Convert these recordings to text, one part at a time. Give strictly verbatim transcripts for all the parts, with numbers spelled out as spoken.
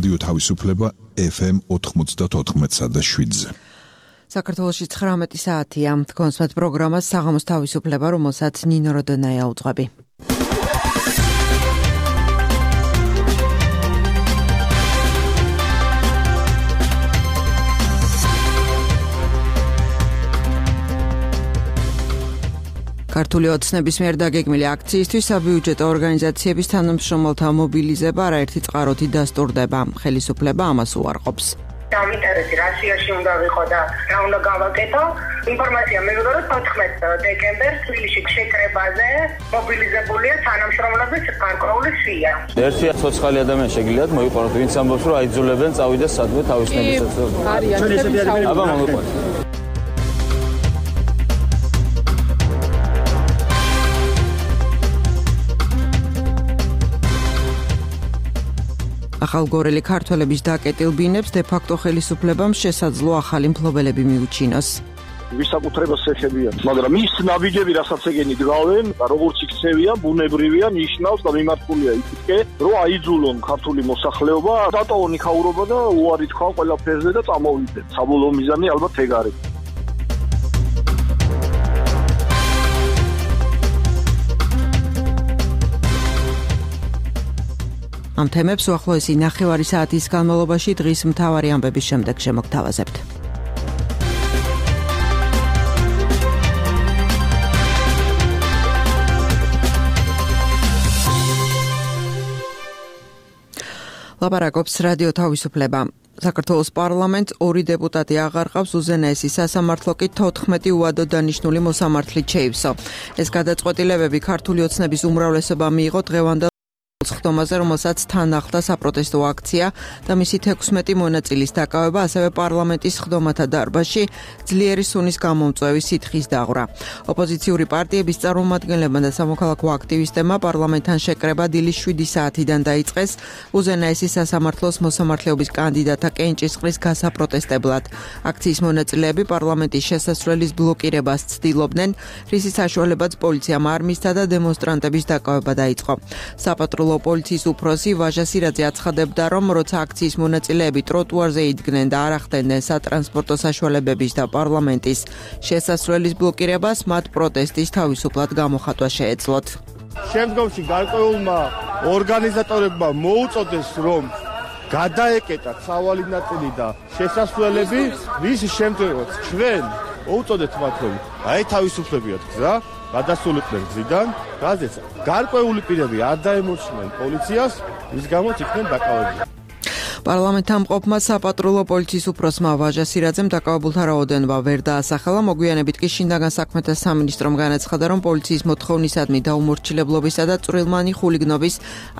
რადიო თავისუფლება ეფ ემ ოთხმოცდაოთხ და შვიდზე. საქართველოში ცხრამეტი საათია. თქვენსმეთ პროგრამას საღამოს თავისუფლება, რომელსაც ნინო როდონაია უძღვები. ქართული ოცნების მიერ დაგეგმილი აქციისთვის საბიუჯეტო ორგანიზაციების თანამშრომელთა მობილიზება არაერთი წყაროთი დასტურდება. ხელისუფლება ამას უარყოფს. Დამინტერესი რასიაში უნდა ვიყო და რა უნდა გავაკეთო. ინფორმაცია მივიღო, რომ თოთხმეტ დეკემბერს თბილისში შეკრებაზე მობილიზებულია თანამშრომლების გარკვეული სია. ერთი ცოცხალი ადამიანი შეგიძლიათ მოიყვანოთ, ვინც ამბობს, რომ აიძულებენ წავიდეს სადმე თავისნებისაც. აბა მოგიყვანოთ. ახალგორელი ქართველების დაკეტილ ბინებს დე-ფაქტო ხელისუფლებამ შესაძლო ახალი მფლობელები მიუჩინოს. ვისაკუთრებას ეხებიან, მაგრამ ის ნაბიჯები, რასაც ეგენი დგავენ, როგორც იქცევია, ბუნებრივია, ნიშნავს და მიმართულია ისეთკე, რომ აიძულონ ქართული მოსახლეობა, დატოვონ იქაურობა და უარი თქვა ყველაფერზე და წამოვიდეთ. საბოლოო მიზანი ალბათ ეგ არის. ამ თემებს უახლოესი ნახევარი საათის განმავლობაში დღის მთავარი ამბების შემდეგ შემოგთავაზებთ. ლაპარაკობს რადიო თავისუფლება. საქართველოს პარლამენტს ორი დეპუტატი აღარყავს, უზენაესი სასამართლო კი თოთხმეტი უადოდ დანიშნული მოსამართლით შეივსო. ეს გადაწყვეტილებები ქართული ოცნების უმრავლესობა მიიღო დღევანდელ ხდომაზე, რომელსაც თან ახლდა საპროტესტო აქცია და მისი თექვსმეტი მონაწილის დაკავება, ასევე პარლამენტის ხდომათა დარბაზში ძლიერი სუნის გამომწვევი სითხის დაღვრა. ოპოზიციური პარტიების წარმომადგენლებმა და სამოქალაქო აქტივისტებმა პარლამენტთან შეკრება დილის შვიდი საათიდან დაიწყეს უზენაესი სასამართლოს მოსამართლეობის კანდიდატთა კენჭისყრის გასაპროტესტებლად. აქციის მონაწილეები პარლამენტის შესასვლელის ბლოკირებას ცდილობდნენ, რისის საშუალებაც პოლიციამ არ მისცა და დემონსტრანტების დაკავება დაიწყო. საპატრულო პოლიციის უფროსი ვაჟა სირაძე აცხადებდა, რომ როცა აქციის მონაწილეები ტროტუარზე იდგნენ და არ ახდენდნენ სატრანსპორტო საშუალებების და პარლამენტის შესასვლელის ბლოკირებას, მათ პროტესტის თავისუფლად გამოხატვა შეეძლოთ. შემდგომში გარკვეულმა ორგანიზატორებმა მოუწოდეს, რომ გადაეკეტათ სავალი ნაწილი და შესასვლელები, რის შემდგომაც ჩვენ მოუწოდეთ მათ, რომ აი თავისუფლებიათ გზა გადასულიყვნენ გზიდან, რაზეც გარკვეული პირები არ დაემორჩნენ პოლიციას, რის გამოც იქნენ დაკავებულნი. პარლამენტთან მყოფმა საპატრულო პოლიციის უფროსმა ვაჟა სირაძემ დაკავებულთა რაოდენობა ვერ დაასახელა. მოგვიანებით კი შინაგან საქმეთა სამინისტრომ განაცხადა, რომ პოლიციის მოთხოვნისადმი დაუმორჩილებლობისა და წვრილმანი ხულიგნობის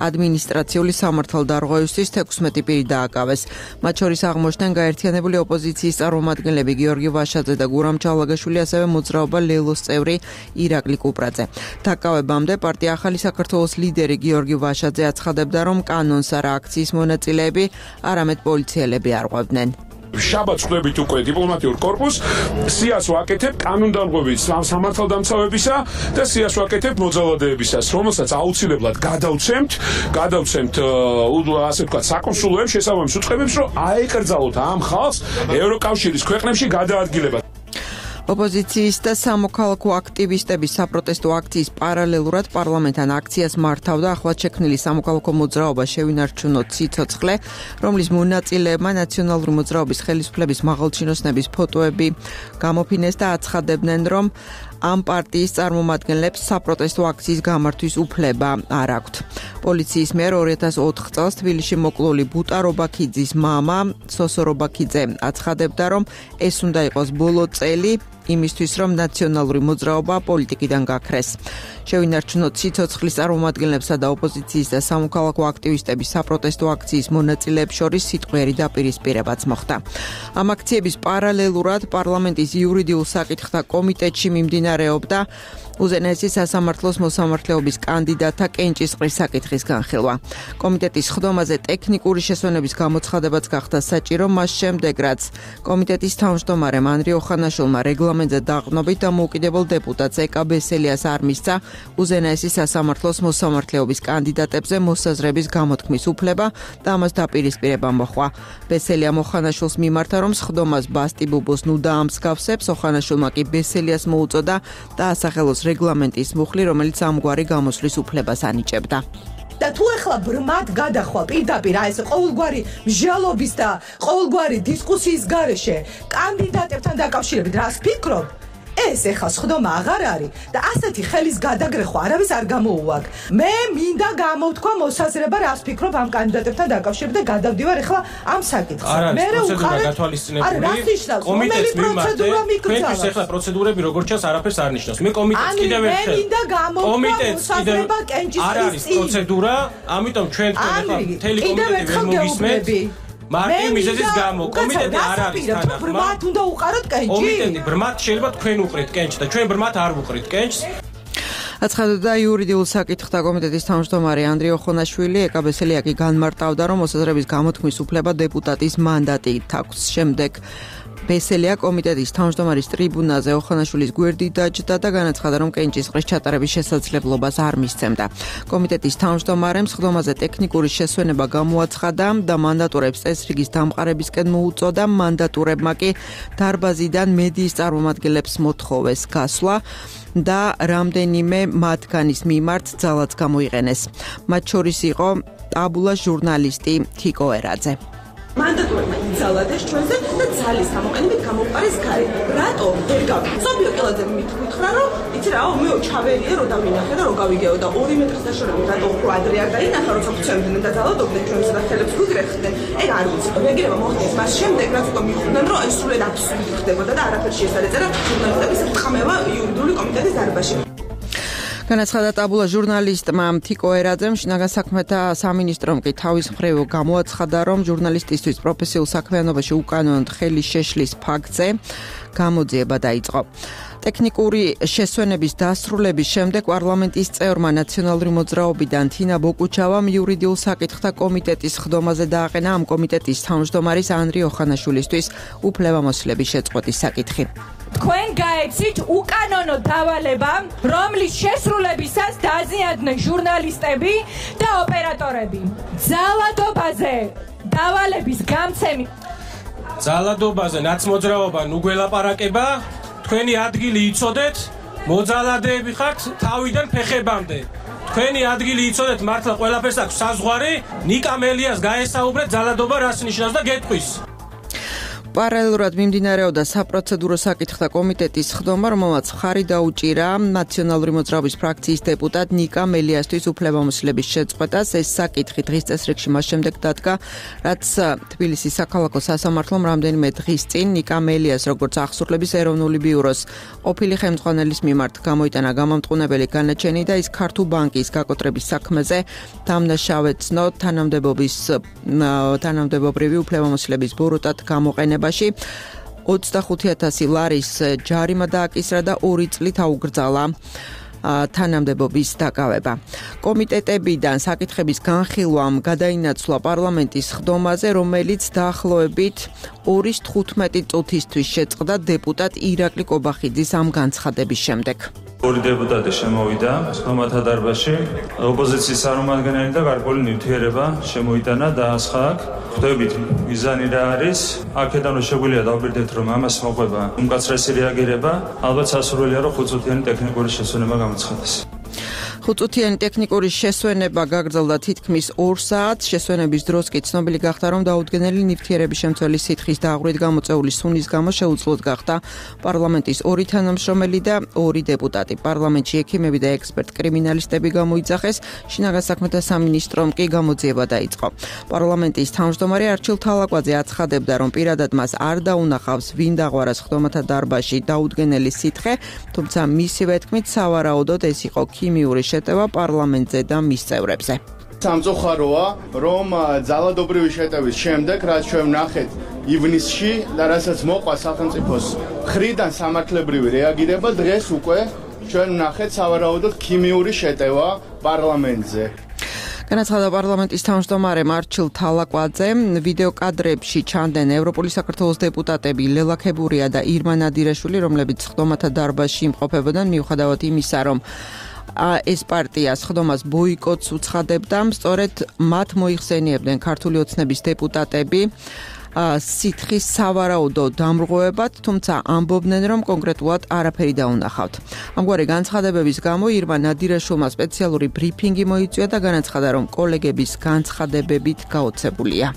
ადმინისტრაციული სამართალდარღვევისთვის თექვსმეტი პირი დააკავეს. მათ შორის აღმოჩნდნენ გაერთიანებული ოპოზიციის წარმომადგენლები გიორგი ვაშაძე და გურამ ჩალაგაშვილი, ასევე მოძრაობა ლელოს წევრი ირაკლი კუპრაძე. დაკავებამდე პარტია ახალი საქართველოს ლიდერი გიორგი ვაშაძე აცხადებდა, რომ კანონს არა აქციის მონაწილეები, არამედ პოლიციელები არღვევდნენ. შაბათს ხვდებით უკვე დიპლომატიურ კორპუსს, სიას ვაკეთებ კანონდარღვევის სამართალდამცავებისა და სიას ვაკეთებ მოძალადეებისას, რომელსაც აუცილებლად გადავცემთ, გადავცემთ ასე ვთქვათ საკონსულოებს შესაბამის უწყებებს, რომ აეკრძალოთ ამ ხალხს ევროკავშირის ქვეყნებში გადაადგილება. ოპოზიციის და სამოქალაქო აქტივისტების საპროტესტო აქციის პარალელურად პარლამენტთან აქციას მართავდა ახლად შექმნილი სამოქალაქო მოძრაობა შევინარჩუნოთ სიცოცხლე, რომლის მონაწილეებმა ნაციონალური მოძრაობის ხელისუფლების მაღალჩინოსნების ფოტოები გამოფინეს და აცხადებდნენ, რომ ამ პარტიის წარმომადგენლებს საპროტესტო აქციის გამართვის უფლება არ აქვთ. პოლიციის მიერ ორი ათას ოთხ წელს თბილისში მოკლული ბუტა რობაქიძის მამა სოსო რობაქიძე აცხადებდა, რომ ეს უნდა იყოს ბოლო წელი იმისთვის, რომ ნაციონალური მოძრაობა პოლიტიკიდან გაქრეს. შევინარჩუნოთ სიცოცხლის წარმომადგენლებსა და ოპოზიციის და სამოქალაქო აქტივისტების საპროტესტო აქციის მონაწილეებს შორის სიტყვიერი დაპირისპირებაც მოხდა. ამ აქციების პარალელურად პარლამენტის იურიდიულ საკითხთა კომიტეტში მიმდინარეობდა უზენაესი სასამართლოს მოსამართლეობის კანდიდატთა კენჭისყრის საკითხის განხილვა. კომიტეტის ხდომაზე ტექნიკური შესვენების გამოცხადებაც გახდა საჭირო მას შემდეგ, რაც კომიტეტის თავმჯდომარემ ანრი ოხანაშვილმა რეგლამენტ პარლამენტზე დაყრდნობით დამოუკიდებელ დეპუტატს ეკა ბესელიას არ მისცა უზენაესი სასამართლოს მოსამართლეობის კანდიდატებზე მოსაზრების გამოთქმის უფლება და ამას დაპირისპირება მოხდა. ბესელია მოხანაშვილს მიმართა, რომ სხდომას ბასტი ბუბოს ნუ დაამსგავსებს, ოხანაშვილმა კი ბესელიას მოუწოდა და ასახელოს რეგლამენტის მუხლი, რომელიც ამგვარი გამოსვლის უფლებას ანიჭებდა. და თუ ახლა ბრმად გადახვა პირდაპირ აი ეს ყოველგვარი მსჯელობის და ყოველგვარი დისკუსიის გარეშე კანდიდატებთან დაკავშირებით რას ფიქრობ? ეს ეხლა სხდომა აღარ არის და ასეთი ხელის გადაგრეხვა არავის არ გამოუვაგ. მე მინდა გამოვთქვა მოსაზრება რას ფიქრობ ამ კანდიდატებთან დაკავშირებით და გადავდივარ ახლა ამ საკითხზე. მე პროცედურა გათვალისწინებული კომიტეტის პროცედურა მიკრძალა. თქვენთვის ახლა პროცედურები როგორ ჩანს არაფერს არ ნიშნავს. მე კომიტეტს კიდევ ერთხელ მე მინდა გამოვთქვა მოსაზრება კენჭისყრის არის პროცედურა, ამიტომ ჩვენ თქვენ ახლა მთელი კომიტეტი ვერ მოგისმენთ. მარტივ მიზეზის გამო კომიტეტი არ არის თანახმად. ბრმად უნდა უყაროთ კენჭი. კომიტეტი ბრმად შეიძლება თქვენ უყრით კენჭს და ჩვენ ბრმად არ ვუყრით კენჭს. აცხადებდა იურიდიულ საკითხთა კომიტეტის თავმჯდომარე ანდრე ოხონაშვილი. ეკა ბესელია კი განმარტავდა, რომ მოსაზრების გამოთქმის უფლება დეპუტატის მანდატით აქვს. შემდეგ ბესელია კომიტეტის თავმჯდომარის ტრიბუნაზე ოხანაშვილის გვერდით დაჯდა და განაცხადა, რომ კენჭისყრის ჩატარების შესაძლებლობას არ მისცემდა. კომიტეტის თავმჯდომარემ სხდომაზე ტექნიკური შესვენება გამოაცხადა და მანდატურებს წესრიგის დამყარებისკენ მოუწოდა. მანდატურებმა კი დარბაზიდან მედიის წარმომადგენლებს მოთხოვეს გასვლა და რამდენიმე მათგანის მიმართ ძალაც გამოიყენეს. მათ შორის იყო ტაბულას ჟურნალისტი თიკო ერაძე. მანდატურებმა იზალადეს ჩვენზე და ძალის გამოყენებით გამოვყარეს გარე. რატო ვერ გავიგე? სოფიო კილაძე მithქვით რომ იცი რა, მეო ჩავერიე რო დავინახე და რო გავიგეო და ორი მეტრის დაშორებით რატო უფრო ადრე არ დაინახა, როცა გვცემდნენ და ძალადობდნენ ჩვენს სახელებს გვიგრეხდნენ. ეგ არ ვიცი. რეგირება მოხდეს მას შემდეგ, რაც უკვე მიხვდნენ, რომ ეს სრულად აბსურდი ხდებოდა და არაფერში ეს არ ეწერა ჟურნალისტების ხმევა იურიდიული კომიტეტის დარბაზში. განაცხადა ტაბულა ჟურნალისტმა თიკო ერაძემ. შინაგან საქმეთა სამინისტრომ კი თავის მხრივ გამოაცხადა, რომ ჟურნალისტისთვის პროფესიულ საქმიანობაში უკანონოდ ხელის შეშლის ფაქტზე გამოძიება დაიწყო. ტექნიკური შესვენების დასრულების შემდეგ პარლამენტის წევრმა ნაციონალური მოძრაობიდან თინა ბოკუჩავამ იურიდიულ საკითხთა კომიტეტის სხდომაზე დააყენა ამ კომიტეტის თავმჯდომარის ანდრე ოხანაშვილისთვის უფლებამოსილების შეწყვეტის საკითხი. თქვენ გაეცით უკანონო დავალება, რომლის შესრულებისას დაზიანდნენ ჟურნალისტები და ოპერატორები. ძალადობაზე დავალების გამცემი. ძალადობაზე ნაცმოძრაობა ნუ გველაპარაკება. თქვენი ადგილი იცოდეთ, მოძალადეები ხართ თავიდან ფეხებამდე. თქვენი ადგილი იცოდეთ, მართლა ყველაფერს აქვს საზღვარი. ნიკა მელიას გაესაუბრეთ ძალადობა რას ნიშნავს და გეტყვის. პარალელურად მიმდინარეობდა საპროცედურო საკითხთა კომიტეტის სხდომა, რომელმაც მხარი დაუჭირა ნაციონალური მოძრაობის ფრაქციის დეპუტატ ნიკა მელიასთვის უფლებამოსილების შეწყვეტას. ეს საკითხი დღის წესრიგში მას შემდეგ დადგა, რაც თბილისის საქალაქო სასამართლომ რამდენიმე დღის წინ ნიკა მელიას როგორც აღსრულების ეროვნული ბიუროს ყოფილი ხელმძღვანელის მიმართ გამოიტანა გამამტყუნებელი განაჩენი და ის ქართულ ბანკის გაკოტრების საქმეზე დამნაშავეცნო თანამდებობის თანამდებობრივი უფლებამოსილების ბოროტად გამოყენება. ოცდახუთი ათასი ლარის ჯარიმა დააკისრა და ორი წლით აუგრძალა თანამდებობის დაკავება. კომიტეტებიდან საკითხების განხილვამ გადაინაცვლა პარლამენტის სხდომაზე, რომელიც დაახლოებით ორის თხუთმეტი წუთისთვის შეწყდა დეპუტატ ირაკლი კობახიძის ამ განცხადების შემდეგ. ორი დეპუტატი შემოვიდა სხდომათა დარბაზში, ოპოზიციის წარმომადგენელი და გარკვეული ნივთიერება შემოიტანა და ასხაკ. ხვდებით მიზანი რა არის? აქედან შეგვიძლია დავბირდეთ, რომ ამას მოყვება უმკაცრესი რეაგირება, ალბათ სასურველია, რომ ხუთწუთიანი ტექნიკური შესვენება გამოცხადდეს. ხუთწუთიანი ტექნიკური შესვენება გაგრძელდა თითქმის ორ საათს. შესვენების დროს კი ცნობილი გახდა, რომ დაუდგენელი ნივთიერების შემცველი სითხის დაღვრით გამოწეული სუნის გამო შეუძლოდ გახდა პარლამენტის ორი თანამშრომელი და ორი დეპუტატი. პარლამენტში ექიმები და ექსპერტ კრიმინალისტები გამოიძახეს. შინაგან საქმეთა სამინისტრომ კი გამოძიება დაიწყო. პარლამენტის თავმჯდომარე არჩილ თალაკვაძე აცხადებდა, რომ პირადად მას არ დაუნახავს ვინ დაღვარა სხდომათა დარბაზში დაუდგენელი სითხე, თუმცა მისივე თქმით სავარაუდოდ ეს იყო ქიმიური შეტევა პარლამენტზე და მის წევრებზე. სამწუხაროა, რომ ძალადობრივი შეტევის შემდეგ, რაც ჩვენ ვნახეთ ივნისში და რასაც მოყვა სახელმწიფოს მხრიდან სამართლებრივი რეაგირება, დღეს უკვე ჩვენ ვნახეთ სავარაუდოდ ქიმიური შეტევა პარლამენტზე. განაცხადა პარლამენტის თავმჯდომარე მარჩილ თალაკვაძე, ვიდეო კადრებში ჩანდნენ ევროპული საქართველოს დეპუტატები ლელა ქებურია და ირმა ნადირაშვილი, რომლებიც სხდომათა დარბაზში იმყოფებოდნენ, მიუხედავად იმისა, რომ ეს პარტია სხდომას ბოიკოტს უცხადებდა, სწორედ მათ მოიხსენიებდნენ ქართული ოცნების დეპუტატები სითხის სავარაუდო დამრღვევებად, თუმცა ამბობდნენ, რომ კონკრეტულად არაფერი დაუნახავთ. ამგვარი განცხადებების გამო ირმა ნადირაშვილმა სპეციალური ბრიფინგი მოიწვია და განაცხადა, რომ კოლეგების განცხადებებით გაოცებულია.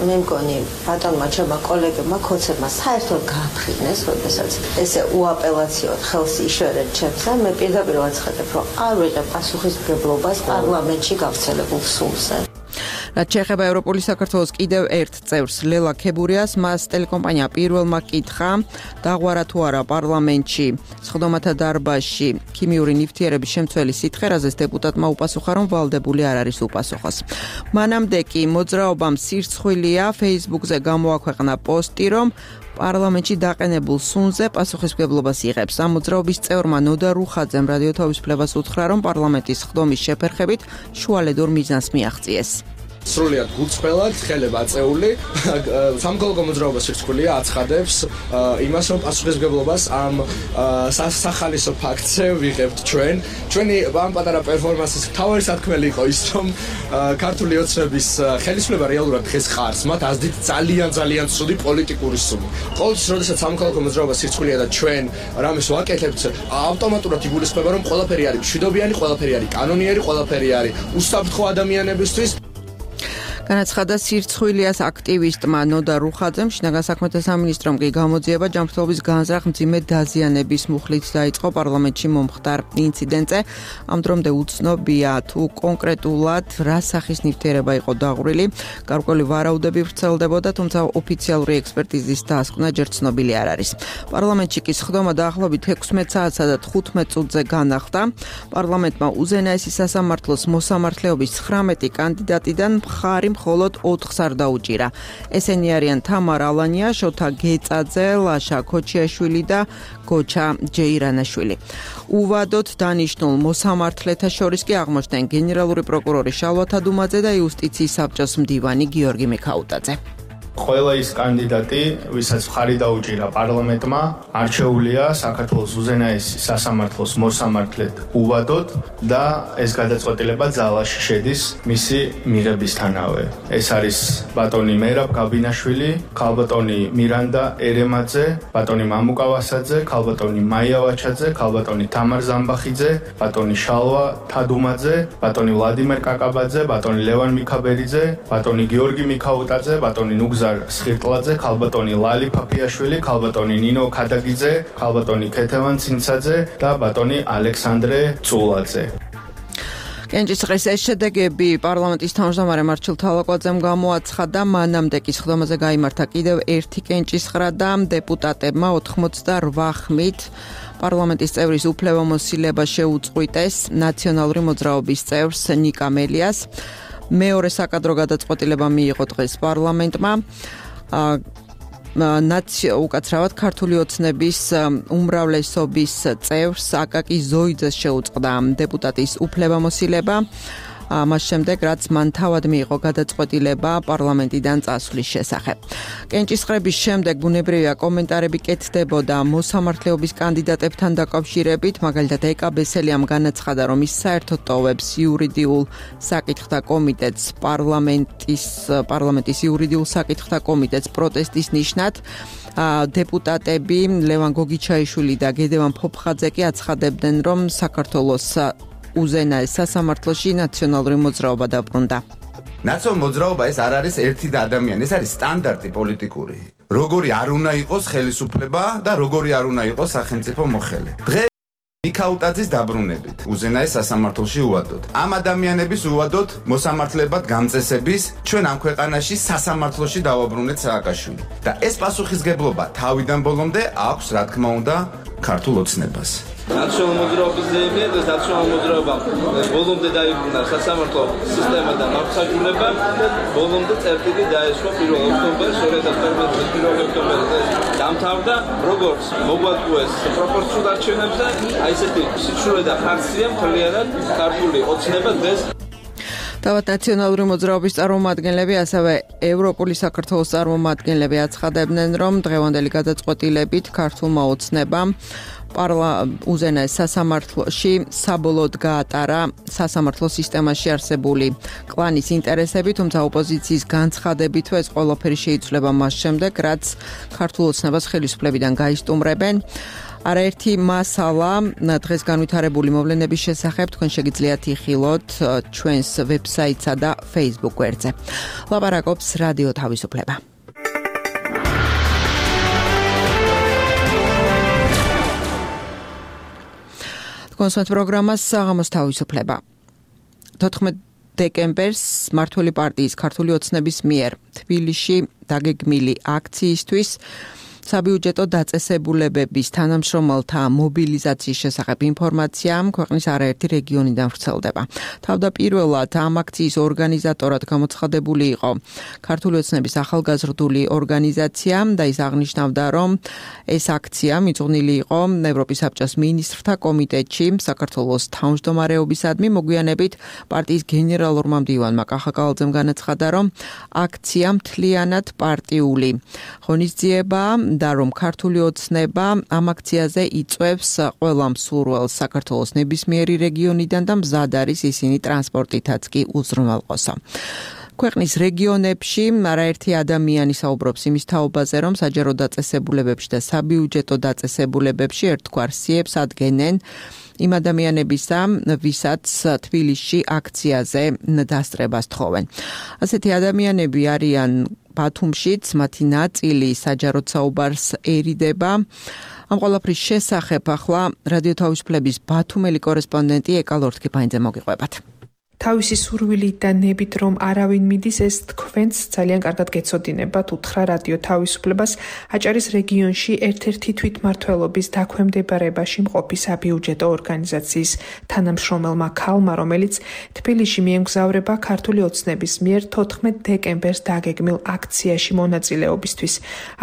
მე მგონი ბატონმა ჩემმა კოლეგებმა ქოცებმა საერთოდ გააფრინეს, როდესაც ესე უაპელაციოდ ხელს იშორეთ ჩემს და მე პირდაპირ ვაცხადებ, რომ არ ვიღებ პასუხისმგებლობას პარლამენტში გავრცელებულ სულზე. რაც შეეხება ევროპული საქართველოს კიდევ ერთ წევრს ლელა ქებურიას, მას ტელეკომპანია პირველმა კითხა, დაღვარა თუ არა პარლამენტში სხდომათა დარბაზში ქიმიური ნივთიერების შემცველი სითხერაზეს, დეპუტატმა უპასუხა, რომ ვალდებული არ არის უპასუხოს. მანამდე კი მოძრაობამ სირცხვილია Facebook-ზე გამოაქვეყნა პოსტი, რომ პარლამენტში დაყენებულ სუნზე პასუხისმგებლობას იღებს. ამ მოძრაობის წევრმა ნოდა რუხაძემ რადიო თავისუფლებას უთხრა, რომ პარლამენტის სხდომის შეფერხებით შუალედურ მიზანს მიაღწიეს. სრულიად გულწრფელად, ხელება აწეული, სამოქალაქო მოძრაობა სირცხვილია აცხადებს იმას, რომ პასუხისმგებლობას ამ სახალისო ფაქტზე ვიღებთ ჩვენ. ჩვენი ამ პატარა პერფორმანსის მთავარი სათქმელი იყო ის, რომ ქართული ოცნების ხელისუფლება რეალურად დღეს ხარს, მათ ასდით ძალიან ძალიან ცუდი პოლიტიკური სული. ყოველთვის, როდესაც სამოქალაქო მოძრაობა სირცხვილია და ჩვენ რამეს ვაკეთებთ, ავტომატურად იგულისხმება, რომ ყველაფერი არის მშვიდობიანი, ყველაფერი არის კანონიერი, ყველაფერი არის უსაფრთხო ადამიანებისთვის. განაცხადა სირცხვილიას აქტივისტმა ნოდა რუხაძემ, შინაგან საქმეთა სამინისტრომ კი გამოძიება ჯანმრთელობის განზრახ მძიმე დაზიანების მუხლით დაიწყო პარლამენტში მომხდარ ინციდენტზე. ამ დრომდე უცნობია თუ კონკრეტულად რა სახის ნივთიერება იყო დაღვრილი. გარკვეული ვარაუდები ვრცელდებოდა, თუმცა ოფიციალური ექსპერტიზის დასკვნა ჯერ ცნობილი არ არის. პარლამენტში კი სხდომა დაახლოებით ექვსმეტ საათსა და თხუთმეტ წუთზე განახლდა. პარლამენტმა უზენაესი სასამართლოს მოსამართლეობის ცხრამეტი კანდიდატიდან მხარი მხოლოდ ოთხს არ დაუჭირა. ესენი არიან თამარ ალანია, შოთა გეწაძე, ლაშა ქოჩიაშვილი და გოჩა ჯეირანაშვილი. უვადოდ დანიშნულ მოსამართლეთა შორის კი აღმოჩნდნენ გენერალური პროკურორი შალვა თადუმაძე და იუსტიციის საბჭოს მდივანი გიორგი მიქაუტაძე. ყველა ის კანდიდატი, ვისაც მხარი დაუჭირა პარლამენტმა, არჩეულია საქართველოს უზენაესი სასამართლოს მოსამართლედ უვადოდ და ეს გადაწყვეტილება ძალაში შედის მისი მიღებისთანავე. ეს არის ბატონი მერაბ გაბინაშვილი, ქალბატონი მირანდა ერემაძე, ბატონი მამუკა ვასაძე, ქალბატონი მაია ვაჩაძე, ქალბატონი თამარ ზამბახიძე, ბატონი შალვა თადუმაძე, ბატონი ვლადიმერ კაკაბაძე, ბატონი ლევან მიქაბერიძე, ბატონი გიორგი მიქაუტაძე, ბატონი ნუგზა სხირტლაძე, ქალბატონი ლალი ფაფიაშვილი, ქალბატონი ნინო ქადაგიძე, ქალბატონი ქეთევან ცინცაძე და ბატონი ალექსანდრე წულაძე. კენჭისყრის ეს შედეგები პარლამენტის თავმჯდომარე მარჩილ თალაკვაძემ გამოაცხადა, მანამდე კი სხდომაზე გაიმართა კიდევ ერთი კენჭისყრა და დეპუტატებმა ოთხმოცდარვა ხმით პარლამენტის წევრის უფლებამოსილება შეუწყვიტეს ნაციონალური მოძრაობის წევრს ნიკა მელიას. მეორე საკადრო გადაწყვეტილება მიიღო დღეს პარლამენტმა. ნაცია უკაცრავად ქართული ოცნების უმრავლესობის წევრს აკაკი ზოიძეს შეუწყდა დეპუტატის უფლებამოსილება. მას შემდეგ, რაც მან თავად მიიღო გადაწყვეტილება პარლამენტიდან წასვლის შესახებ. კენჭისყრების შემდეგ ბუნებრივია კომენტარები კეთდებოდა მოსამართლეობის კანდიდატებთან დაკავშირებით, მაგალითად ეკა ბესელიამ განაცხადა, რომ ის საერთოდ ტოვებს იურიდიულ საკითხთა კომიტეტს პარლამენტის პარლამენტის იურიდიულ საკითხთა კომიტეტს პროტესტის ნიშნად. დეპუტატები ლევან გოგიჩაიშვილი და გედევან ფოფხაძე კი აცხადებდნენ, რომ საქართველოს უზენაეს სასამართლოში ნაციონალური მოძრაობა დაბრუნდა. ნაციონალური მოძრაობა ეს არ არის ერთი და ადამიანი, ეს არის სტანდარტი პოლიტიკური. როგორი არ უნდა იყოს ხელისუფლება და როგორი არ უნდა იყოს სახელმწიფო მოხელე. დღეს მიქაუტაძის დაბრუნებით უზენაეს სასამართლოში უვადოთ. ამ ადამიანების უვადოთ მოსამართლებად გამწესების ჩვენ ამ ქვეყანაში სასამართლოში დავაბრუნეთ სააკაშვილი. და ეს პასუხისგებლობა თავიდან ბოლომდე აქვს, რა თქმა უნდა, ქართულ ოცნებას. ნაციონალური მოძრაობის ზეიმია და ნაციონალური მოძრაობა ბოლომდე დაიბრუნა სასამართლო სისტემიდან აღსაჯულება და ბოლომდე წერტილი დაესვა პირველ ოქტომბერს ორი ათას თორმეტი პირველ ოქტომბერზე დამთავრდა, როგორც მოგვაწყვეს პროპორციულ არჩევნებზე, აი ესეთი სიცრუე და ხარცია მთლიანად ქართული ოცნება დღეს. თავად ნაციონალური მოძრაობის წარმომადგენლები, ასევე ევროპული საქართველოს წარმომადგენლები აცხადებდნენ, რომ დღევანდელი გადაწყვეტილებით ქართულმა ოცნებამ უზენაეს სასამართლოში საბოლოოდ გაატარა სასამართლო სისტემაში არსებული კლანის ინტერესები, თუმცა ოპოზიციის განცხადებითვე ეს ყველაფერი შეიცვლება მას შემდეგ, რაც ქართულ ოცნებას ხელისუფლებიდან გაისტუმრებენ. არაერთი მასალა დღეს განვითარებული მოვლენების შესახებ თქვენ შეგიძლიათ იხილოთ ჩვენს ვებსაიტსა და Facebook გვერდზე. ლაპარაკობს რადიო თავისუფლება. კონსერტ პროგრამას საღამოს თავისუფლება. თოთხმეტ დეკემბერს მმართველი პარტიის ქართული ოცნების მიერ თბილისში დაგეგმილი აქციისთვის საბიუჯეტო დაწესებულებების თანამშრომელთა მობილიზაციის შესახებ ინფორმაცია ქვეყნის არაერთი რეგიონიდან ვრცელდება. თავდაპირველად ამ აქციის ორგანიზატორად გამოცხადებული იყო ქართული ოცნების ახალგაზრდული ორგანიზაცია და ის აღნიშნავდა, რომ ეს აქცია მიძღვნილი იყო ევროპის საბჭოს მინისტრთა კომიტეტში საქართველოს თავმჯდომარეობისადმი. მოგვიანებით პარტიის გენერალურმა მდივანმა კახაკალაძემ განაცხადა, რომ აქცია მთლიანად პარტიული ღონისძიება და რომ ქართული ოცნება ამ აქციაზე იწვევს ყველა მსურველს საქართველოს ნებისმიერი რეგიონიდან და მზად არის ისინი ტრანსპორტითაც კი უზრუნველყოსო. ქვეყნის რეგიონებში არაერთი ადამიანი საუბრობს იმის თაობაზე, რომ საჯარო დაწესებულებებში და საბიუჯეტო დაწესებულებებში ერთგვარ სიებს ადგენენ იმ ადამიანებისა, ვისაც თბილისში აქციაზე დასწრებას თხოვენ. ასეთი ადამიანები არიან ბათუმშიც, მათი ნაწილი საჯაროდ საუბარს ერიდება. ამ ყველაფრის შესახებ ახლა რადიო თავისუფლების ბათუმელი კორესპონდენტი ეკა ლორთქიფანიძე მოგიყვებათ. თავისი სურვილით და ნებით რომ არავინ მიდის, ეს თქვენც ძალიან კარგად გეცოდინებათ უთხრა რადიო თავისუფლებას აჭარის რეგიონში ერთ-ერთი თვითმმართველობის დაქვემდებარებაში მყოფი საბიუჯეტო ორგანიზაციის თანამშრომელმა ქალმა, რომელიც თბილისში მიემგზავრება ქართული ოცნების მიერ თოთხმეტ დეკემბერს დაგეგმილ აქციაში მონაწილეობისთვის.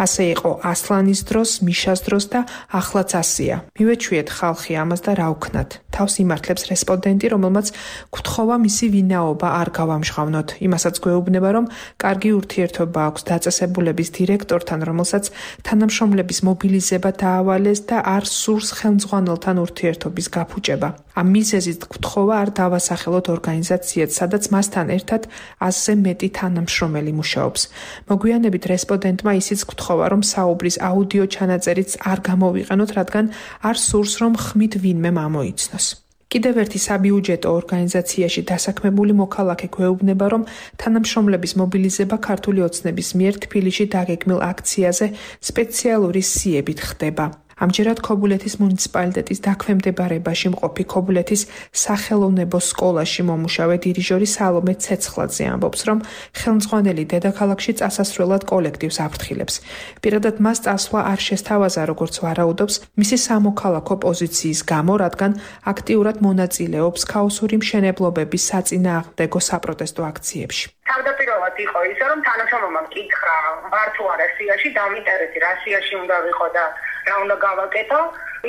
ასე იყო ასლანის დროს, მიშას დროს და ახლაც ასია. მივეჩვიეთ ხალხი ამას და რა ვქნათ. თავს იმართლებს რესპონდენტი, რომელმაც გთხოვა მისი ვინაობა არ გავამჟღავნოთ. იმასაც გვეუბნება, რომ კარგი ურთიერთობა აქვს დაწესებულების დირექტორთან, რომელსაც თანამშრომლების მობილიზება დაავალეს და არ სურს ხელმძღვანელთან ურთიერთობის გაფუჭება. ამ მიზეზით გთხოვა არ დავასახელოთ ორგანიზაციად, სადაც მასთან ერთად ასზე მეტი თანამშრომელი მუშაობს. მოგვიანებით რესპონდენტმა ისიც გთხოვა, რომ საუბრის აუდიო ჩანაწერიც არ გამოვიყენოთ, რადგან არ სურს, რომ ხმით ვინმე ამოიცნოს. კიდევ ერთი საბიუჯეტო ორგანიზაციაში დასაქმებული მოქალაქე გვეუბნება, რომ თანამშრომლების მობილიზება ქართული ოცნების მიერ თბილისში დაგეგმილ აქციაზე სპეციალური სიებით ხდება. ამჯერად ქობულეთის მუნიციპალიტეტის დაქვემდებარებაში მყოფი ქობულეთის სახელოვნებო სკოლაში მომუშავე დირიჟორი სალომე ცეცხლაძე ამბობს, რომ ხელმძღვანელი დედაქალაქში წასასვლელად კოლექტივს აფრთხილებს. პირადად მას წასვლა არ შესთავაზა, როგორც ვარაუდობს, მისი სამოქალაქო პოზიციის გამო, რადგან აქტიურად მონაწილეობს ქაოსური მშენებლობების საწინააღმდეგო საპროტესტო აქციებში. თავდაპირველად იყო ისე, რომ თანამშრომელმა მკითხა, ვარ თუ არა სიაში, დამიტარეთ რა სიაში უნდა ვიყო და რა უნდა გავაკეთო.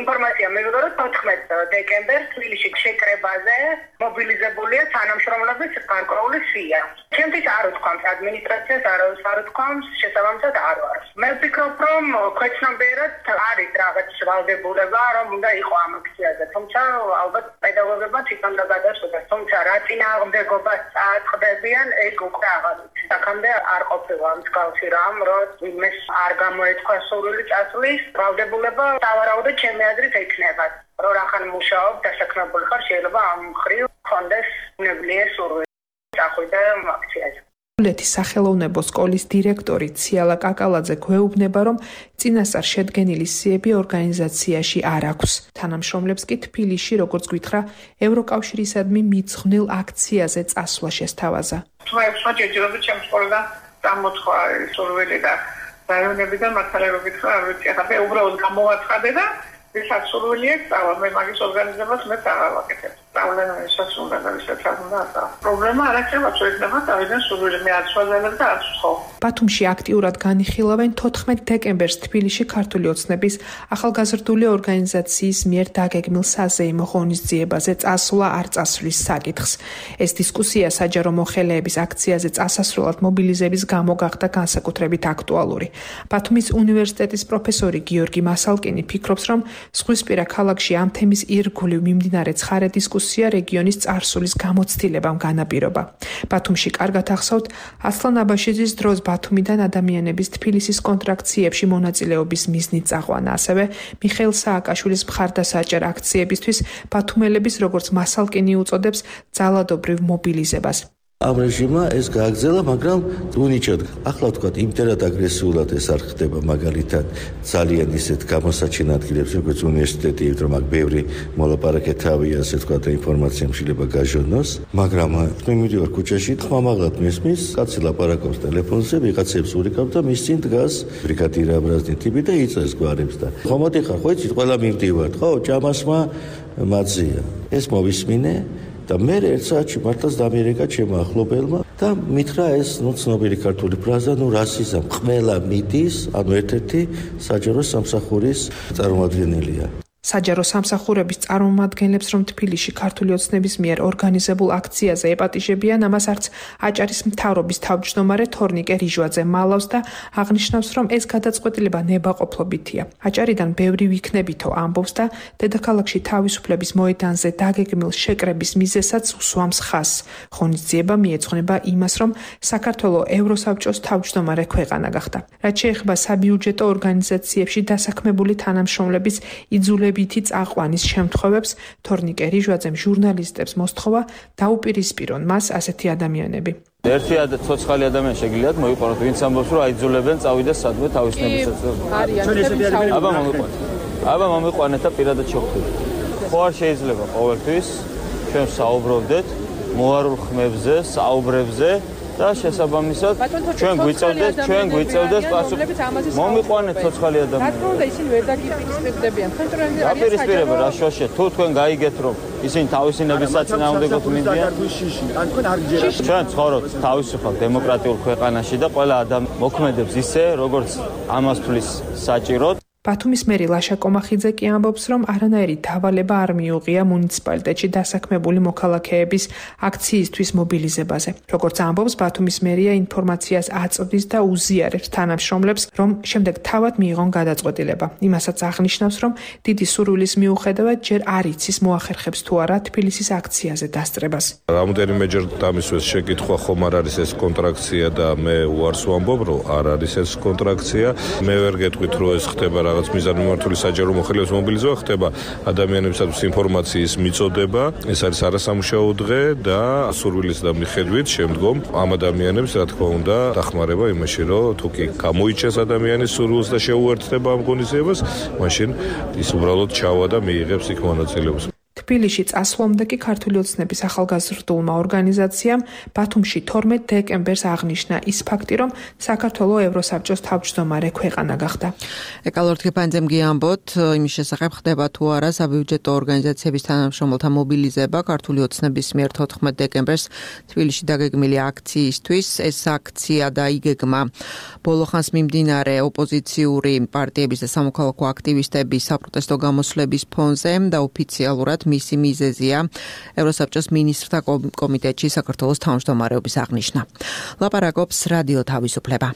ინფორმაცია მივიღო, რომ თოთხმეტ დეკემბერს თბილისში შეკრებაზე მობილიზებულია თანამშრომლების გარკვეული სია. ჩემთვის არ უთქვამს ადმინისტრაციას, არავის არ უთქვამს, შესაბამისად არ ვარ. მე ვფიქრობ, რომ ქვეცნობიერად არის რაღაც ვალდებულება, რომ უნდა იყო ამ აქციაზე, თუმცა ალბათ პედაგოგებმა თვითონ გადაწყვეტეს, თუმცა რა წინააღმდეგობას წააწყდებიან, ეს უკვე აღარ ვიცი. აქამდე არ ყოფილა მსგავსი რამ, რომ ვინმეს არ გამოეთქვა სურვილი წასვლის, ვალდებულება დავარაუდე ჩემი აზრით ექნება. რო რახან მუშაობ დასაქმებული ხარ, შეიძლება ამ მხრივ კონდეს ნებლიე სურვილი. წახვიდე აქციაზე. ქობულეთის სახელოვნებო სკოლის დირექტორი ციალა კაკალაძე გვეუბნება, რომ წინასწარ შედგენილი სიები ორგანიზაციაში არ აქვს. თანამშრომლებს კი თბილისში, როგორც გითხრა, ევროკავშირისადმი მიძღვნილ აქციაზე წასვლა შესთავაზა. თუმცა ჯერჯერობით ჩემს სკოლიდან წამოთხვა სურვილი და რაიონებიდან მართალერობით ხარ, არ ვიცი, ახლა უბრალოდ გამოვაცხადე და ვისაც სურვილი აქვს, მე მაგის ორგანიზებას მე წავაკეთებ. პრობლემასაც უნდა გავისაცხადო. პრობლემა არ აქ შეიძლება შეიძლება თავიდან სურვილი მე არ შევძელებ და არ ვსხო. ბათუმში აქტიურად განიხილავენ თოთხმეტ დეკემბერს თბილისში ქართული ოცნების ახალგაზრდული ორგანიზაციის მიერ დაგეგმილ საზეიმო ღონისძიებაზე წასვლა არ წასვლის საკითხს. ეს დისკუსია საჯარო მოხელეების აქციაზე წასასვლელად მობილიზების გამო გახდა განსაკუთრებით აქტუალური. ბათუმის უნივერსიტეტის პროფესორი გიორგი მასალკინი ფიქრობს, რომ ზღვისპირა ქალაქში ამ თემის ირგვლივ მიმდინარე ცხარე დისკუსია რეგიონის წარსულის გამოცდილებამ განაპირობა. ბათუმში კარგად ახსოვთ ასლან აბაშიძის დროს ბათუმიდან ადამიანების თბილისის კონტრაქციებში მონაწილეობის მიზნით წაყვანა, ასევე მიხეილ სააკაშვილის მხარდასაჭერ აქციებისთვის ბათუმელების, როგორც მასალკინი უწოდებს, ძალადობრივ მობილიზებას. ამ რეჟიმმა ეს გააგრძელა, მაგრამ უნიჭოდ ახლა ვთქვათ, იმდენად აგრესიულად ეს არ ხდება, მაგალითად ძალიან ისეთ გამოსაჩენ ადგილებში, როგორც უნივერსიტეტი, რომ აქ ბევრი მოლაპარაკე თავია, ასე ვთქვათ, ინფორმაცია შეიძლება გაჟონოს, მაგრამ მე მივიდივარ ქუჩაში, ხმამაღლად მესმის, კაცი ლაპარაკობს ტელეფონზე, ვიღაცებს ურიკავს და მის წინ დგას ბრიგადირ აბრაზნი ტიპი და იწევს გვარებს და ხომოდი ხარ, ხო იცით, ყველა მივდივართ, ხო, ჭამასმა მაძია. ეს მოვისმინე და მე ერთ საათში მართლაც დამიერეკა ჩემო ახლობელმა და მითხრა ეს ნუ ცნობილი ქართული ფრაზა, ნუ რასიზმ ყველა მიდის, ანუ ერთ-ერთი საჯარო სამსახურის წარმომადგენელია. საჯარო სამსახურების წარმომადგენლებს, რომ თბილისში ქართული ოცნების მიერ ორგანიზებულ აქციაზე ეპატიჟებიან, ამას არც აჭარის მთავრობის თავმჯდომარე თორნიკე რიჟვაძე მალავს და აღნიშნავს, რომ ეს გადაწყვეტილება ნებაყოფლობითია. აჭარიდან ბევრი ვიქნებითო ამბობს და დედაქალაქში თავისუფლების მოედანზე დაგეგმილ შეკრების მიზეზსაც უსვამს ხაზს. ღონისძიება მიეძღვნება იმას, რომ საქართველო ევროსაბჭოს თავმჯდომარე ქვეყანა გახდა. რაც შეეხება საბიუჯეტო ორგანიზაციებში დასაქმებული თანამშრომლების იძულებითი წაყვანის შემთხვევებს, თორნიკე რიჟვაძემ ჟურნალისტებს მოსთხოვა დაუპირისპირონ მას ასეთი ადამიანები. ერთი ცოცხალი ადამიანი შეგიძლიათ მოიყვანოთ, ვინც ამბობს, რომ აიძულებენ წავიდეს სადმე თავისნებისაც. აბა მომიყვანეთ. აბა მომიყვანეთ და პირადად შევხვდებით. ხო არ შეიძლება ყოველთვის ჩვენ საუბრობდეთ მოარულ ხმებზე, საუბრებზე და შესაბამისად ჩვენ გვიწევდეს ჩვენ გვიწევდეს პასუხი. მომიყვანეთ ცოცხალი ადამიანი. რა თქმა ისინი ვერ დაგიპირისპირდებიან. დაპირისპირება რა შოშე, თუ თქვენ გაიგეთ რომ ისინი თავისინების საწინააღმდეგოდ მინდიან, ჩვენ ცხოვრობთ თავისუფალ დემოკრატიულ ქვეყანაში და ყველა ადამიანი მოქმედებს ისე, როგორც ამას თulis საჭიროდ. ბათუმის მერი ლაშა კომახიძე კი ამბობს, რომ არანაირი დავალება არ მიუღია მუნიციპალიტეტში დასაქმებული მოქალაქეების აქციისთვის მობილიზებაზე. როგორც ამბობს, ბათუმის მერია ინფორმაციას აწვდის და უზიარებს თანამშრომლებს, რომ შემდეგ თავად მიიღონ გადაწყვეტილება. იმასაც აღნიშნავს, რომ დიდი სურვილის მიუხედავად ჯერ არ იცის მოახერხებს თუ არა თბილისის აქციაზე დასწრებას. რამოდენიმეჯერ დამისვეს შეკითხვა, ხომ არ არის ეს კონტრაქცია და მე უარს ვამბობ, რომ არ არის ეს კონტრაქცია. მე ვერ გეტყვით, რომ ეს ხდება რაღაც მიზანმიმართული საჯარო მოხელეების მობილიზება, ხდება ადამიანებისათვის ინფორმაციის მიწოდება. ეს არის არასამუშაო დღე და სურვილის და მიხედვით შემდგომ ამ ადამიანებს, რა თქმა უნდა, დახმარება იმაში, რომ თუ კი გამოიჩეს ადამიანის სურვილს და შეუერთდება ამ ღონისძიებას, მაშინ ის უბრალოდ ჩავა და მიიღებს იქ მონაწილეობას. თბილისში წასვლამდე კი ქართული ოცნების ახალგაზრდულმა ორგანიზაციამ ბათუმში თორმეტ დეკემბერს აღნიშნა ის ფაქტი, რომ საქართველო ევროსაბჭოს თავმჯდომარე ქვეყანა გახდა. ეკალორთ გეპანძემ გიამბოთ, იმის შესახებ ხდება თუ არა საბიუჯეტო ორგანიზაციების თანამშრომელთა მობილიზება ქართული ოცნების მიერ თოთხმეტ დეკემბერს თბილისში დაგეგმილი აქციისთვის. ეს აქცია და იგეგმა ბოლოხანს მიმდინარე ოპოზიციური პარტიების და სამოქალაქო აქტივისტების საპროტესტო გამოსვლების ფონზე და ოფიციალურად მისი მიზეზია ევროსაბჭოს მინისტრთა კომიტეტში საქართველოს თავმჯდომარეობის აღნიშვნა. ლაპარაკობს რადიო თავისუფლება.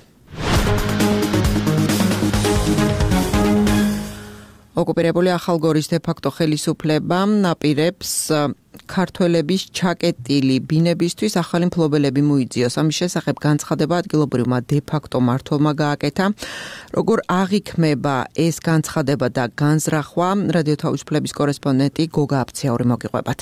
ოკუპირებული ახალგორის დე-ფაქტო ხელისუფლება აპირებს ქართველების ჩაკეტილი ბინებისთვის ახალი მფლობელები მოიძიოს. ამის შესახებ განცხადება ადგილობრივმა დე-ფაქტო მმართველმა გააკეთა. როგორ აღიქმება ეს განცხადება და განზრახვა, რადიო თავისუფლების კორესპონდენტი გოგა აფციური მოგიყვებათ.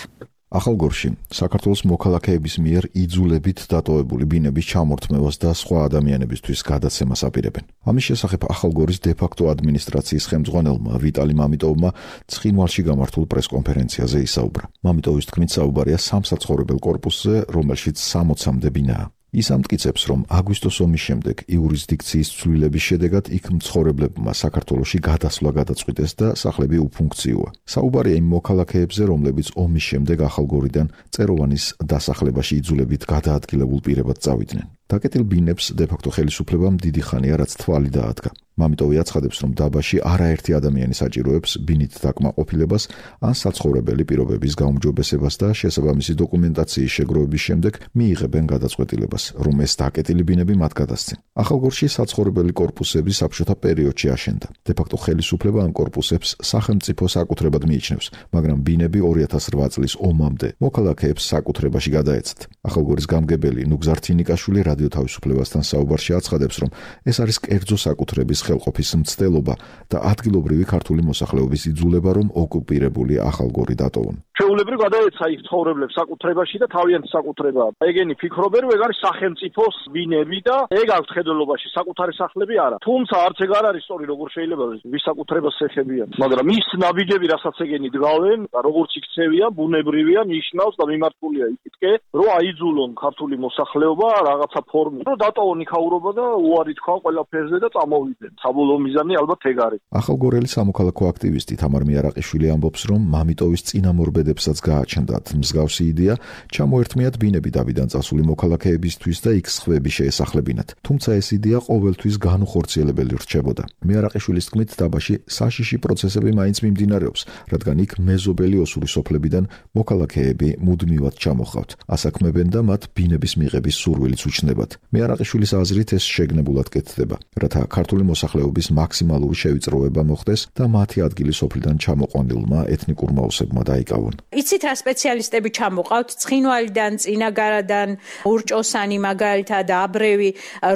ახალგორში საქართველოს მოქალაქეების მიერ იძულებით დატოვებული ბინების ჩამორთმევას და სხვა ადამიანებისთვის გადაცემას აპირებენ. ამის შესახებ ახალგორის დე-ფაქტო ადმინისტრაციის ხელმძღვანელმა ვიტალი მამიტოვმა ცხინვალში გამართულ პრესკონფერენციაზე ისაუბრა. მამიტოვის თქმით საუბარია სამსაცხოვრებელ კორპუსზე, რომელშიც სამოცამდე ბინაა. ის ამტკიცებს, რომ აგვისტოს ომის შემდეგ იურისდიქციის ცვლილების შედეგად იქ მცხოვრებლებმა საქართველოში გადასვლა გადაწყვიტეს და სახლები უფუნქციოა. საუბარია იმ მოქალაქეებზე, რომლებიც ომის შემდეგ ახალგორიდან წეროვანის დასახლებაში იძულებით გადაადგილებულ პირებად წავიდნენ. დაკეტილ ბინებს დე-ფაქტო ხელისუფლებამ დიდი ხანია რაც თვალი დაადგა. მამიტოვი აცხადებს, რომ დაბაში არაერთი ადამიანი საჭიროებს ბინით დაკმაყოფილებას ან საცხოვრებელი პირობების გაუმჯობესებას და შესაბამისი დოკუმენტაციის შეგროვების შემდეგ მიიღებენ გადაწყვეტილებას, რომ ეს დაკეტილი ბინები მათ გადასცენ. ახალგორში საცხოვრებელი კორპუსები საბჭოთა პერიოდში აშენდა. დე-ფაქტო ხელისუფლება ამ კორპუსებს სახელმწიფო საკუთრებად მიიჩნევს, მაგრამ ბინები ორი ათას რვა წლის ომამდე მოქალაქეებს საკუთრებაში გადაეცათ. ახალგორის გამგებელი ნუგზარ თინიკაშვილი რადიო თავისუფლებასთან საუბარში აცხადებს, რომ ეს არის კერძო საკუთრების ხელყოფის მცდელობა და ადგილობრივი ქართული მოსახლეობის იძულება, რომ ოკუპირებული ახალგორი დატოვონ. ჩვეულებრივ გადაეცა იქ ცხოვრებლებს საკუთრებაში და თავიანთი საკუთრება. ეგენი ფიქრობენ, რომ ეგ არის სახელმწიფოს ბინები და ეგ აქვს ხედველობაში, საკუთარი სახლები არა. თუმცა არც ეგ არ არის სწორი, როგორ შეიძლება ვის საკუთრებას ეხებიან. მაგრამ ის ნაბიჯები, რასაც ეგენი დგავენ, როგორც იქცევიან, ბუნებრივია, ნიშნავს და მიმართულია იქითკე, რომ აიძულონ ქართული მოსახლეობა რაღაცა ფორმით, რომ დატოვონ იქაურობა და უარი თქვა ყველაფერზე და წამოვიდნენ. საბოლოო მიზანი ალბათ ეგ არის. ახალგორელი სამოქალაქო აქტივისტი თამარ მიარაყიშვილი ამბობს, რომ მამიტოვის წინამორბედებსაც გააჩნდათ მსგავსი იდეა, ჩამოერთმიათ ბინები დავიდან წასული მოქალაქეებისთვის და იქ სხვები შეესახლებინათ. თუმცა ეს იდეა ყოველთვის განუხორციელებელი რჩებოდა. მიარაყიშვილის თქმით, დაბაში საშიში პროცესები მაინც მიმდინარეობს, რადგან იქ მეზობელი ოსური სოფლებიდან მოქალაქეები მუდმივად ჩამოხავთ, ასაქმებენ და მათ ბინების მიღების სურვილიც უჩნდებათ. მიარაყიშვილის აზრით ეს შეგნებულად კეთდება, რათა ქართული მოსახლეობის მაქსიმალური შევიწროვება მოხდეს და მათი ადგილი სოფლიდან ჩამოყვანილმა ეთნიკურმა ოსებმა დაიკავონ. იცით რა სპეციალისტები ჩამოყავთ ცხინვალიდან, წინაგარიდან, ურჭოსანი მაგალითად აბრევი,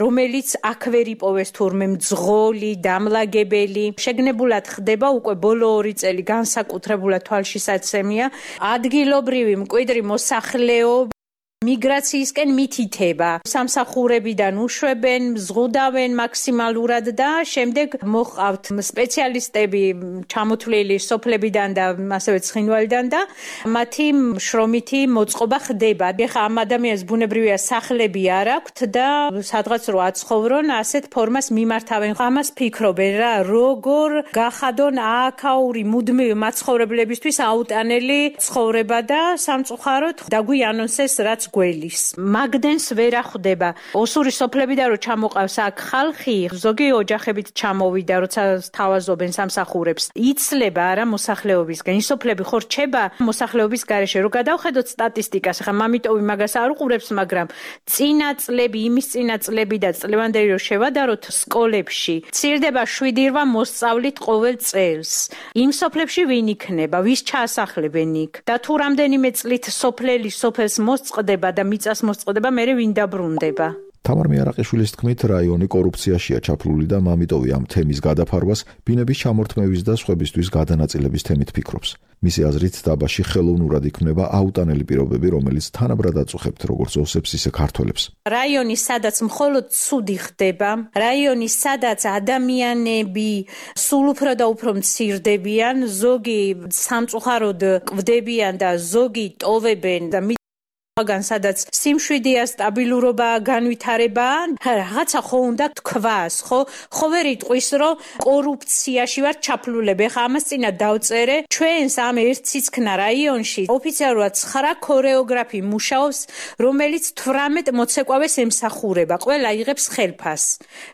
რომელიც აქ ვერ იპოვეს თურმე მძღოლი, დამლაგებელი. შეგნებულად ხდება უკვე ბოლო ორი წელი განსაკუთრებულად თვალშისაცემია ადგილობრივი მკვიდრი მოსახლეობა მიგრაციისკენ მითითება. სამსახურებიდან უშვებენ, მზღუდავენ მაქსიმალურად და შემდეგ მოყავთ სპეციალისტები ჩამოთვლილი სოფლებიდან და ასევე ცხინვალიდან და მათი შრომითი მოწყობა ხდება. ეხლა ამ ადამიანს ბუნებრივია სახლები არ აქვთ და სადღაც რო აცხოვრონ, ასეთ ფორმას მიმართავენ. ამას ფიქრობენ რა, როგორ გახადონ აქაური მუდმივი მაცხოვრებლებისთვის აუტანელი ცხოვრება და სამწუხაროდ დაგვიანონსეს რაც გველის. მაგდენს ვერ ახვდება. ოსური სოფლებიდან რო ჩამოყავს აქ ხალხი, ზოგი ოჯახებით ჩამოვიდა, როცა თავაზობენ სამსახურებს. იცლება არა მოსახლეობისგან. ის სოფლები ხო რჩება მოსახლეობის გარეშე. რო გადავხედოთ სტატისტიკას, ახლა მამიტოვი მაგას არ უყურებს, მაგრამ წინა წლები, იმის წინა წლები და წლევანდელი რო შევადაროთ სკოლებში, მცირდება შვიდი რვა მოსწავლით ყოველ წელს. იმ სოფლებში ვინ იქნება, ვის ჩაასახლებენ იქ? და თუ რამდენიმე წლით სოფლელი სოფელს მოსწყდება და მიწას მოსწყდება, მერე ვინ დაბრუნდება? თამარ მიარაყიშვილის თქმით, რაიონი კორუფციაშია ჩაფლული და მამიტოვი ამ თემის გადაფარვას ბინების ჩამორთმევის და სხვებისთვის გადანაწილების თემით ფიქრობს. მისი აზრით, დაბაში ხელოვნურად იქმნება აუტანელი პირობები, რომელიც თანაბრად აწუხებთ როგორც ოსებს, ისე ქართველებს. რაიონი, სადაც მხოლოდ ცუდი ხდება, რაიონი, სადაც ადამიანები სულ უფრო და უფრო მცირდებიან, ზოგი სამწუხაროდ კვდებიან და ზოგი ტოვებენ და გან სადაც სიმშვიდეა, სტაბილურობა, განვითარება, რაღაცა ხო უნდა თქვას, ხო? ხო ვერ იტყვის, რომ კორუფციაში ვარ ჩაფლულები. ხა ამას წინა დავწერე, ჩვენს ამ ერთციცქნა რაიონში ოფიციალურად ცხრა ქორეოგრაფი მუშაობს, რომელიც თვრამეტ მოცეკვავეს ემსახურება. ყველა იღებს ხელფას.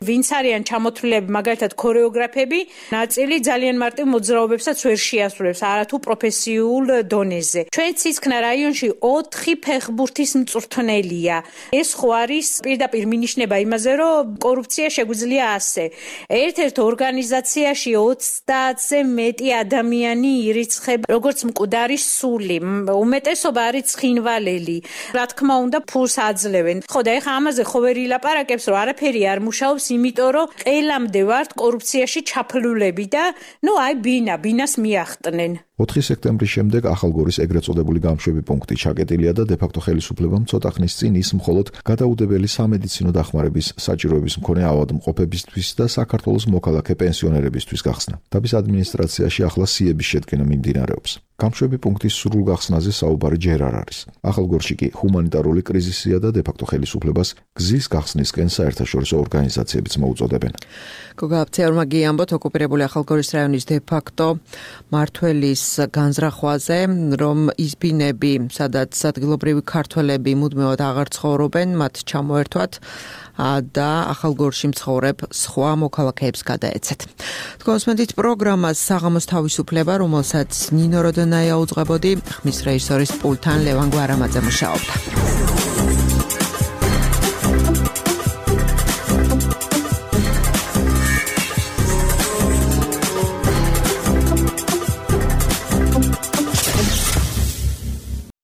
ვინც არიან ჩამოთვლილები, მაგალითად ქორეოგრაფები, ნაწილი ძალიან მარტივ მოძრაობებსაც ვერ შეასრულებს, არათუ პროფესიულ დონეზე. ჩვენ ციცქნა რაიონში ოთხი ფეხ ბურთის მწვრთნელია. ეს ხო არის პირდაპირ მინიშნება იმაზე, რომ კორუფცია შეგვიძლია ასე. ერთ-ერთ ორგანიზაციაში ოცდაათზე მეტი ადამიანი ირიცხება, როგორც მკვდარი სული. უმეტესობა არის ცხინვალელი. რა თქმა უნდა, ფულს აძლევენ. ხო და ეხა ამაზე ხო ვერ ილაპარაკებს, რომ არაფერი არ მუშაობს, იმიტომ რომ ყელამდე ვართ კორუფციაში ჩაფლულები და ნუ აი ბინა, ბინას მიახტნენ. ოთხი სექტემბრის შემდეგ ახალგორის ეგრეთ წოდებული გამშვები პუნქტი ჩაკეტილია და დე-ფაქტო ხელისუფლებამ ცოტა ხნის წინ ის მხოლოდ გადაუდებელი სამედიცინო დახმარების საჭიროების მქონე ავადმყოფებისთვის და საქართველოს მოქალაქე პენსიონერებისთვის გახსნა. დაბის ადმინისტრაციაში ახლა სიების შედგენა მიმდინარეობს. გამშვები პუნქტის სრულ გახსნაზე საუბარი ჯერ არ არის. ახალგორში კი ჰუმანიტარული კრიზისია და დე-ფაქტო ხელისუფლებას გზის გახსნისკენ საერთაშორისო ორგანიზაციებიც მოუწოდებენ. გოგა აფცეორმა გიამბოთ ოკუპირებული ახალგორის რაიონის დე-ფაქტო მართველის განზრახვაზე, რომ ის ბინები, სადაც ადგილობრივი ქართველები მუდმივად აღარ ცხოვრობენ, მათ ჩამოერთვათ და ახალგორში მცხოვრებ სხვა მოქალაქეებს გადაეცეთ. თქვენსმენთ პროგრამას საღამოს თავისუფლება, რომელსაც ნინო როდონაია უძღვებოდი, ხმის რეჟისორის პულთან ლევან გვარამაძე მუშაობდა.